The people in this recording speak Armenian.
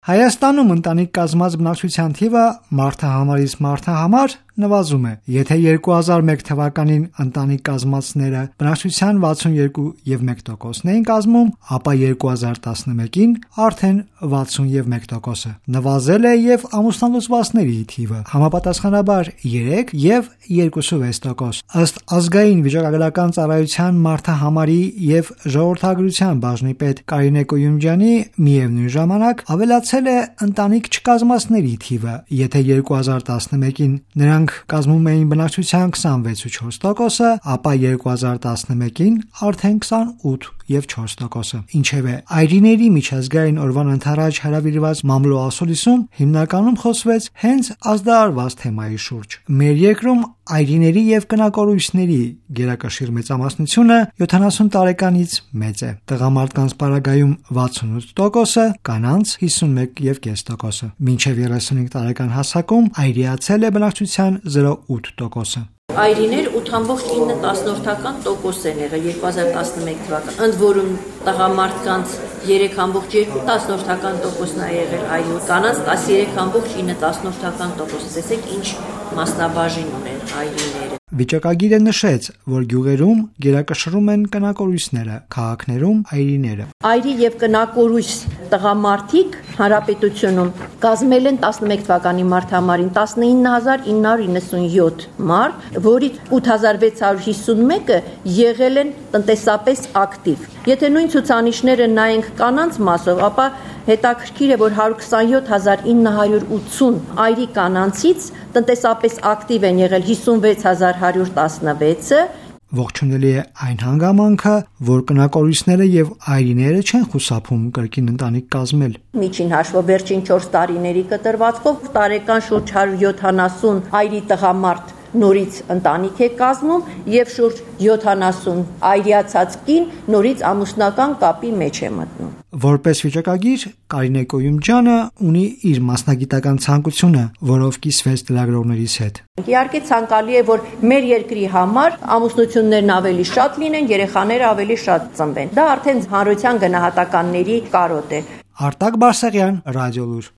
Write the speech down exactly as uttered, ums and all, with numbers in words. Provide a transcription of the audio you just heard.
Հայաստանում ընտանիք կազմած բնակչության թիվը մարդահամարից մարդահամար նվազում է։ Եթե երկու հազար մեկ թվականին ընտանիք կազմածները բնակչության վաթսունեքու եւ մեկ տոկոսն էին կազմում, ապա երկու հազար տասնմեկին արդեն վաթսուն եւ մեկ տոկոսը։ Նվազել է եւ ամուսնալուծվածների թիվը, համապատասխանաբար երեք եւ երկուսուվեց տոկոս։ Ըստ ազգային վիճակագրական ծառայության մարդահամարի եւ ժողովրդագրության բաժնի պետ Կարինե Կոյումջյանի, միևնույն ժամանակ ավելացել է ընտանիք չկազմածների թիվը։ Եթե երկու հազար տասնմեկին նրանք կազմում էին բնակչության քսանվեց ու չորս տոկոսը, ապա երկու հազար տասնմեկին արդեն քսանութ եւ չորս տոկոսը։ Ինչևէ, այրիների միջազգային օրվան ընթരാճ հրավիրված մամլո-ասուլիսում հիմնականում խոսվեց հենց ազդարարված թեմայի շուրջ։ Մեր երկրում այրիների եւ կնակորույսների գերակշիռ մեծամասնությունը յոթանասուն տարեկանից մեծ է։ Տղամարդկանց պարագայում վաթսունութ տոկոսը, կանանց հիսունմեկ եւ կես տոկոսը։ Մինչեւ երեսունհինգ տարեկան հասակում այրիացել է բնակչության զրո ութ տոկոսը։ Այրիներ ութ բացի ինը տոկոս են եղել երկու հազար տասնմեկ թվականին, ընդ որում տղամարդկանց երեք բացի երկու տոկոսն է եղել այրի, կանանց տասներեք բացի ինը տոկոս։ Տեսեք ինչ մասնաբաժին ունեն այրիները։ Վիճակագիրը նշեց, որ գյուղերում գերակշռում են կնակորույսները, քաղաքներում այրիները։ Այրի եւ կնակորույս տղամարդիկ հանրապետությունում կազմել են տասնմեկ թվականի մարտահամարին տասնինը հազար ինը հարյուր իննսունյոթ մարդ, որից ութ հազար վեց հարյուր հիսունմեկը եղել են տնտեսապես ակտիվ։ Եթե նույն ցուցանիշները նայենք կանանց մասով, ապա հետաքրքիր է, որ հարյուր քսանյոթ հազար ինը հարյուր ութսուն այրի կանանցից տնտեսապես ակտիվ են եղել հիսունվեց հազար հարյուր տասնվեցը։ Ողջունելի է այն հանգամանքը, որ կնակորույսները եւ այրիները չեն խուսափում կրկին ընտանիք կազմել։ Միջին հաշվով վերջին չորս տարիների կտրվածքով տարեկան շուրջ հարյուր յոթանասուն այրի տղամարդ նորից ընտանիք է կազմում եւ շուրջ յոթանասուն այրիացած կին նորից ամուսնական կապի մեջ է մտնում։ Որպես վիճակագիր Կարինե Կոյումջյանը ունի իր մասնագիտական ցանկությունը, որով կիսվեց լրագրողներից հետ։ Իհարկե ցանկալի է, որ մեր երկրի համար ամուսնություններն ավելի շատ լինեն, երեխաները ավելի շատ ծնվեն։ Դա արդեն հանրության գնահատականների կարոտ է։ Արտակ Բարսեղյան, Ռադիոլուր։